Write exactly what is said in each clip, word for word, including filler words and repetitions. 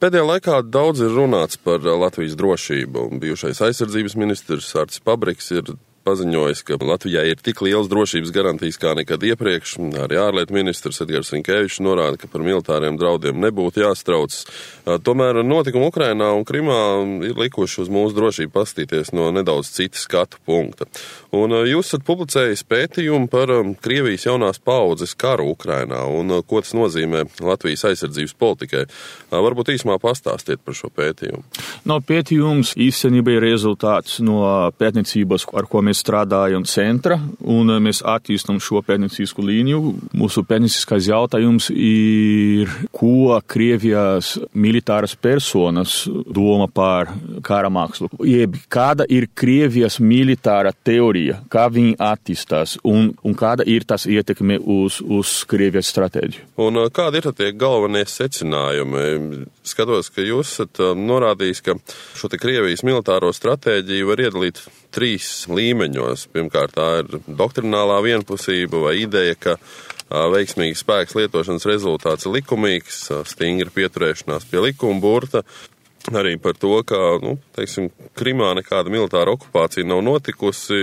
Pēdējā laikā daudz ir runāts par Latvijas drošību. Bijušais aizsardzības ministrs Artis Pabriks ir paziņojis, ka Latvijā ir tik liels drošības garantijas kā nekad iepriekš. Arī ārlietu ministrs Edgars Rinkevičs norāda, ka par militāriem draudiem nebūtu jāstrauc. Tomēr notikumi Ukrainā un Krimā ir likuši uz mūsu drošību paskatīties no nedaudz cita skatu punkta. Un jūs esat publicējis pētījumu par Krievijas jaunās paaudzes karu Ukrainā un ko tas nozīmē Latvijas aizsardzības politikai. Varbūt īsumā pastāstiet par šo pētījumu. No pētījums īstenībā ir rezultāts no pētniecības, ar ko mēs strādājam centra, un mēs attīstam šo pētniecisku līniju. Mūsu pētnieciskais jautājums ir, ko Krievijas militāras personas doma par kara mākslu. Jeb, kāda ir Krievijas militāra teorija, kā viņi attīstās, un, un kāda ir tas ietekme uz, uz Krievijas stratēģiju. Un kādi ir tie galvenie secinājumi? Skatos, ka jūs esat norādījis, ka šo te Krievijas militāro stratēģiju var iedalīt trīs līmeņos. Pirmkārt, tā ir doktrinālā vienpusība vai ideja, ka veiksmīgs spēks lietošanas rezultāts ir likumīgs, stingra pieturēšanās pie likuma burta. Arī par to, ka, nu, teiksim, Krimā nekāda militāra okupācija nav notikusi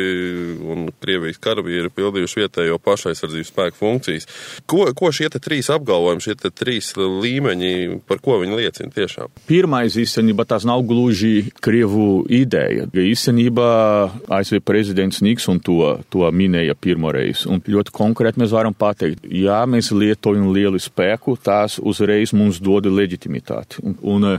un Krievijas karavīri ir pildījuši vietējo pašaizsardzības spēku funkcijas. Ko, ko šie te trīs apgalvojumi, šie te trīs līmeņi, par ko viņi liecina tiešām? Pirmais, īstenībā, tas nav gluži Krievu ideja. Īstenībā A S V prezidents Nikson to, to minēja pirmoreiz. Un ļoti konkrēti mēs varam pateikt, ja mēs lietojam lielu spēku, tās uzreiz mums dod leģitimitāti. Un, un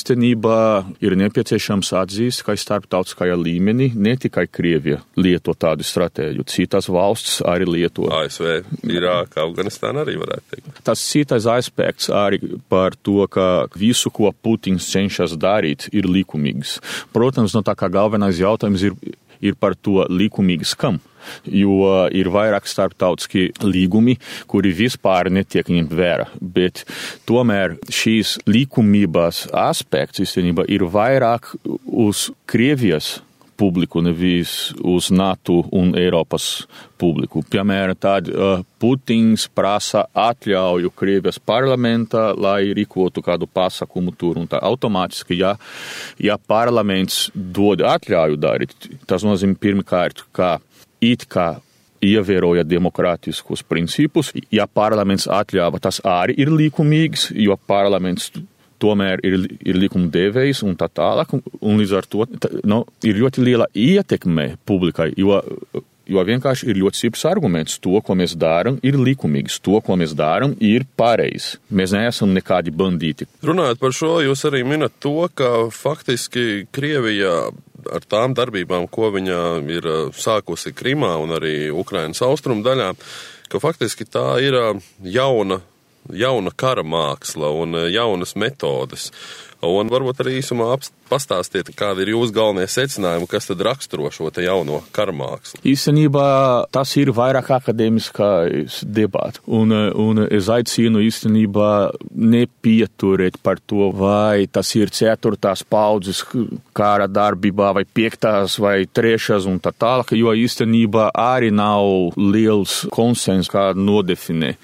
īstenībā ir nepieciešams atzīst, ka starptautiskajā līmenī ne tikai Krievija lieto tādu stratēģiju, citas valsts arī lieto. A S V, Irāka, Afganistāna arī varētu teikt. Tas citais aspekts arī par to, ka visu, ko Putins cenšas darīt, ir likumīgs. Protams, no tā kā galvenais jautājums ir, ir par to likumīgs kam. Jo ir vairāk starptautiski līgumi, kuri vispār netiek ņemt vērā. Bet tomēr šīs likumības aspekts īstenībā ir vairāk uz Krievijas publiku, nevis uz NATO un Eiropas publiku. Piemēram, tad uh, Putins prasa atļauju Krievijas parlamentā, lai rīkotu kādu pasākumu tur un tā automātiski, ja, ja parlaments dod atļauju darīt, tas nozīmē pirmkārt, ka it kā ievēroja demokrātiskus principus, ja parlaments atļāva, tas arī ir likumīgs, jo parlaments tomēr ir, ir likumdevējs un tā tālāk, un līdz ar to tā, no, ir ļoti liela ietekme publikai, jo, jo vienkārši ir ļoti stiprs arguments. To, ko mēs darām, ir likumīgs, to, ko mēs darām, ir pareizi. Mēs neesam nekādi bandīti. Runājot par šo, jūs arī minat to, ka faktiski Krievija ar tām darbībām, ko viņa ir sākusi Krimā un arī Ukrainas austrumu daļā, ka faktiski tā ir jauna, jauna kara māksla un jaunas metodes. Un varbūt arī īsumā pastāstiet, kādi ir jūsu galvenie secinājumi, kas tad raksturo šo te jauno kara mākslu. Īstenībā tas ir vairāk akadēmiskais debats. Un, un es aicinu īstenībā nepieturēt par to, vai tas ir ceturtās paudzes kara darbībā, vai piektās, vai trešās un tā tālāk, jo īstenībā arī nav liels konsens, kā nodefinē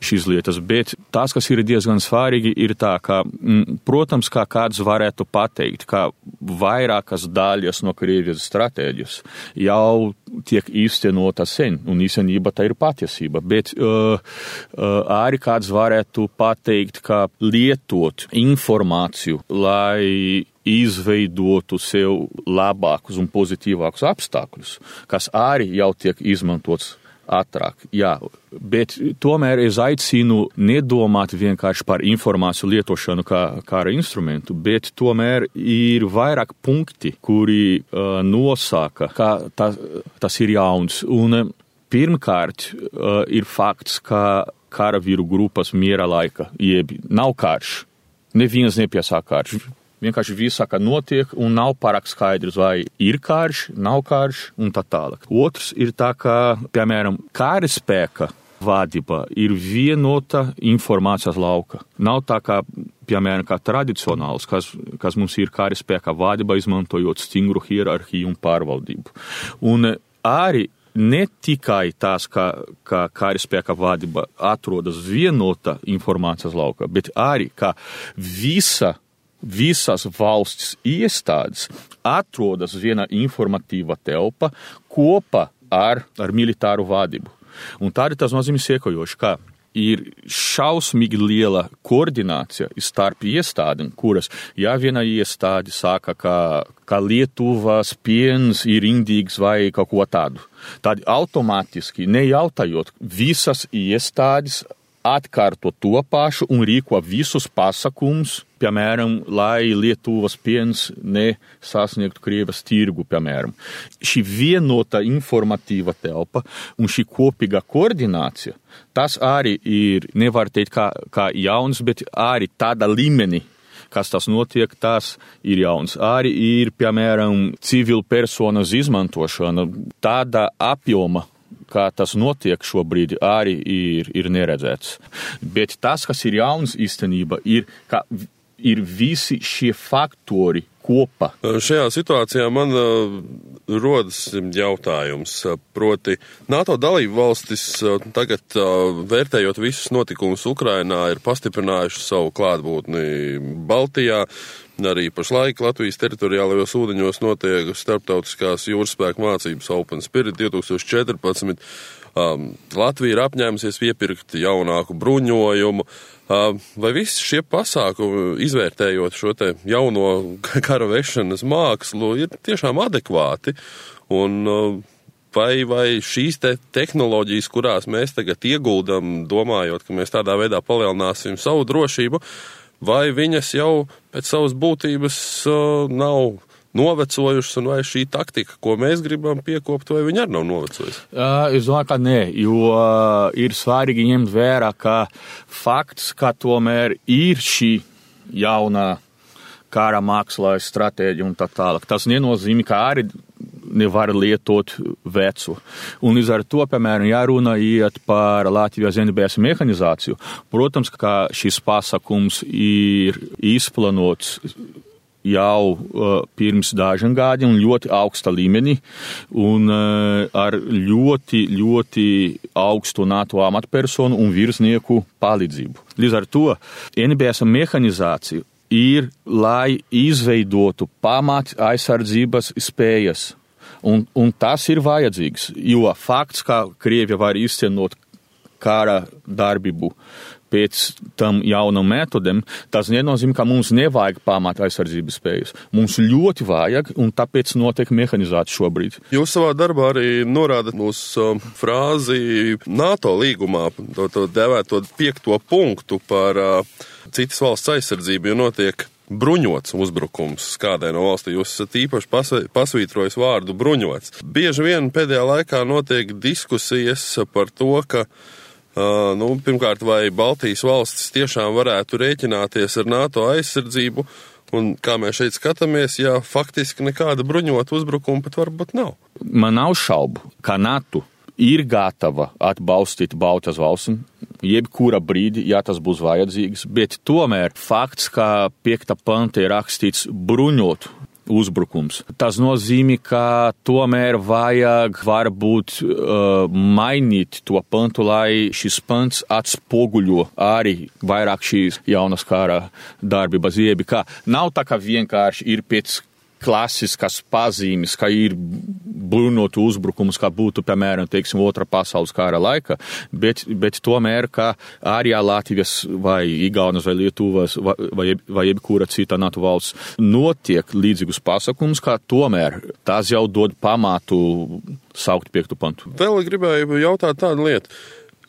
šīs lietas. Bet tas, kas ir diezgan svarīgi, ir tā, ka, m, protams, kā kāds varētu pateikt, ka vairākas daļas no Krievijas stratēģijas jau tiek īstenota sen, un īstenībā tā ir patiesība. Bet uh, uh, arī kāds varētu pateikt, ka lietot informāciju, lai izveidotu sev labākus un pozitīvākus apstākļus, kas arī jau tiek izmantots ātrāk. Jā, bet tomēr es aicinu nedomāt vienkārši par informāciju lietošanu kā kara instrumentu, bet tomēr ir vairāk punkti, kuri uh, nosaka, ka tas, tas ir jauns. Un uh, pirmkārt uh, ir fakts, ka karavīru grupas miera laika, jeb nav karš, neviens nepiesāk karš. Vienkārši viss saka notiek un nav pārāk skaidrs, vai ir karš, nav karš un tā tālāk. Otrs ir tā, ka, piemēram, kara spēka vadība ir vienota informācijas lauka. Nav tā kā, piemēram, kā tradicionāls, kas, kas mums ir kara spēka vadība, izmantojot stingru hierarhiju un pārvaldību. Un arī ne tikai tās, ka, ka karaspēka vadība atrodas vienota informācijas laukā, bet arī, ka visa, visas valsts iestādes atrodas viena informatīva telpa kopā ar, ar militāru vadību. Un tādi tas nozīmē sekojoši, ka ir šausmīgi liela koordinācija starp iestādēm, kuras, ja viena iestāde saka, ka, ka Lietuvas piens ir indīgs vai kaut ko tādu, tad automātiski, nejautājot, visas iestādes atkārto to pašu un rīko visus pasākumus, piemēram, lai Lietuvas piens nesasniegtu Krievijas tirgu, piemēram. Šī vienota informatīva telpa un šī kopīga koordinācija, tas arī ir, nevar teikt kā, kā jauns, bet arī tāda līmeni, kas tas notiek, tas ir jauns. Arī ir, piemēram, civil personas izmantošana, tāda apjoma, kā tas notiek šobrīd, arī ir, ir neredzēts. Bet tas, kas ir jauns īstenība, ir, ka ir visi šie faktori kopā. Šajā situācijā man uh, rodas jautājums, proti NATO dalību valstis uh, tagad uh, vērtējot visus notikumus Ukrainā ir pastiprinājuši savu klātbūtni Baltijā. Arī pašlaik Latvijas teritoriālajos ūdeņos notiek starptautiskās jūras spēku mācības Open Spirit divs tūkstoši četrpadsmit. Um, Latvija ir apņēmusies iepirkt jaunāku bruņojumu. Uh, vai visi šie pasākumi, izvērtējot šo te jauno kara vešanas mākslu, ir tiešām adekvāti? Un uh, vai, vai šīs te tehnoloģijas, kurās mēs tagad ieguldam, domājot, ka mēs tādā veidā palielināsim savu drošību, vai viņas jau pēc savas būtības uh, nav novecojušas, un vai šī taktika, ko mēs gribam piekopt, vai viņa arī nav novecojusi? Uh, es domāju, ka nē, jo uh, ir svarīgi ņemt vērā, ka fakts, ka tomēr ir šī jaunā kara mākslā stratēģija un tā tālāk, tas nenozīmē, ka arī nevar lietot vecu. Un līdz ar to, piemēram, jārunā iet par Latvijas N B S mehanizāciju. Protams, ka šis pasākums ir izplanots jau uh, pirms dažiem gadiem un ļoti augsta līmenī un uh, ar ļoti, ļoti augstu NATO amatpersonu un virsnieku palīdzību. Līdz ar to N B S mehanizācija ir, lai izveidotu pamat aizsardzības spējas. Un, un tas ir vajadzīgs, jo fakts, ka Krievija var izcenot kara darbību pēc tam jaunam metodēm, tas nenozīmē, ka mums nevajag pamat aizsardzības spējas. Mums ļoti vajag, un tāpēc notiek mehanizācija šobrīd. Jūs savā darbā arī norādat uz uh, frāzi NATO līgumā, to, to devēto piekto punktu par uh, citas valsts aizsardzību, jo notiek bruņots uzbrukums kādai no valstī. Jūs esat īpaši pasvītrojis vārdu bruņots. Bieži vien pēdējā laikā notiek diskusijas par to, ka Uh, nu, pirmkārt, vai Baltijas valstis tiešām varētu rēķināties ar NATO aizsardzību, un kā mēs šeit skatāmies, ja faktiski nekāda bruņota uzbrukuma pat varbūt nav. Man nav šaubu, ka NATO ir gatava atbalstīt Baltijas valstīm, jebkura brīdi, ja tas būs vajadzīgs, bet tomēr fakts, ka piekta panta ir rakstīts bruņot uzbrukums. Tas nozīmē, ka tomēr vajag varbūt uh, mainīt to pantu, lai šis pants atspoguļo arī vairāk šīs jaunas kara darbības iebi. Kā nav tā, ka vienkārši ir pēc klasiskas pazīmes, ka ir bruņotu uzbrukums, kā būtu, piemēram, teiksim, otrā pasaules kara laika, bet, bet tomēr, ka arī Latvijas vai Igaunas vai Lietuvas vai, vai, vai jebkura cita NATO valsts notiek līdzīgus pasākumus, kā tomēr tās jau dod pamatu saukt piektu pantu. Vēl gribēju jautāt tādu lietu.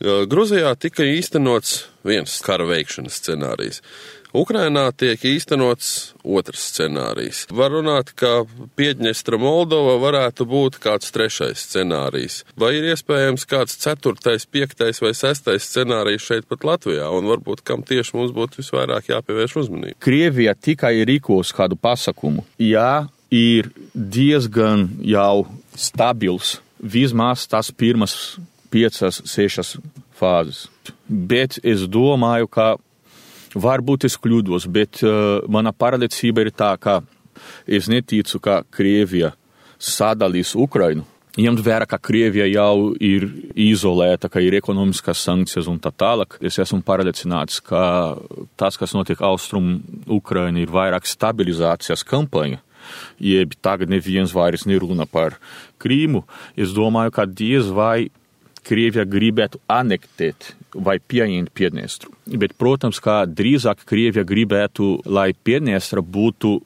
Gruzijā tika īstenots viens kara veikšanas scenārijs. Ukrainā tiek īstenots otrs scenārijs. Var runāt, ka Piedņestra Moldova varētu būt kāds trešais scenārijs. Vai ir iespējams kāds ceturtais, piektais vai sestais scenārijs šeit pat Latvijā? Un varbūt kam tieši mums būtu visvairāk jāpievērš uzmanība? Krievija tikai rīkos kādu pasakumu. Jā, ir diezgan jau stabils, vismaz tās pirmas piecas, sešas fāzes. Bet es domāju, ka varbūt es kļūdos, bet uh, mana pārliecība ir tā, ka es neticu, ka Krievija sadalīs Ukrainu ņemt vērā, ka Krievija jau ir izolēta, ka ir ekonomiskas sankcijas un tā tālāk. Es esmu pārliecināts, ka tas, kas notiek Austrum Ukraina, ir vairāk stabilizācijas kampaņa, jeb tagad neviens vairs nerunā par Krīmu. Es domāju, ka diez vai Krievija gribētu anektēt vai pieņemt Piedņestru. Bet, protams, kā drīzāk Krievija gribētu, lai Piedņestra būtu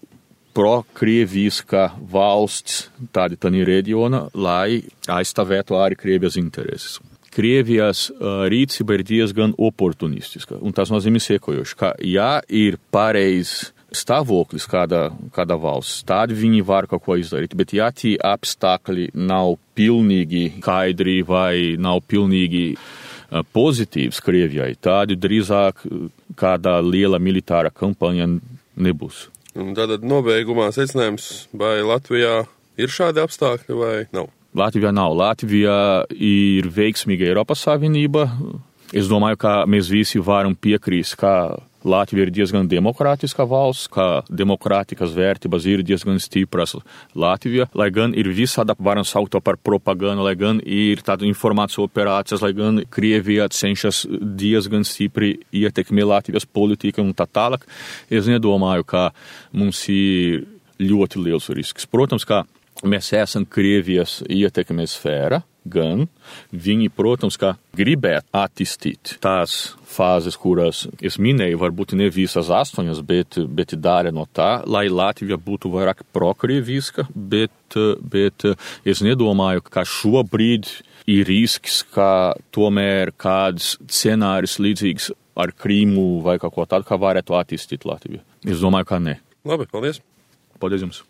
pro-krieviska valsts tādi tādā reģiona, lai aizstāvētu arī Krievijas intereses. Krievijas uh, rīcība ir diezgan oportunistiska, un tas nozīmē sekojoši, ka ja ir pareizs stāvoklis kāda, kāda valsts, tad viņi var kaut ko izdarīt, bet ja tie apstākļi nav pilnīgi skaidri vai nav pilnīgi uh, pozitīvs Krievijai, tad drīzāk kāda liela militāra kampaņa nebūs. Un tātad nobeigumā secinājums, vai Latvijā ir šādi apstākļi vai nav? Latvijā nav. Latvijā ir veiksmīga Eiropas Savienība. Es domāju, ka mēs visi varam piekrist, ka Latvija ir diezgan demokrātiska valsts, ka demokrātikas vērtības ir diezgan stipras Latvijā, lai gan ir visāda, varam saukt to par propagandu, lai gan ir tāda informācijas operācijas, lai gan Krievija cenšas diezgan stipri ietekmē Latvijas politiku un tā tālāk. Es nedomāju, ka mums ir ļoti liels risks. Protams, ka mēs esam Krievijas ietekmes sfēra, gan viņi, protams, kā gribētu attīstīt tās fāzes, kuras es minēju, varbūt ne visas astoņas, bet, bet dara no tā, lai Latvija būtu vairāk prokrieviska, bet, bet es nedomāju, ka šobrīd ir risks, ka tomēr kāds scenārijs līdzīgs ar Krīmu vai kaut ko tādu, kā varētu attīstīt Latviju. Es domāju, ka ne. Labi, paldies. Paldies jums.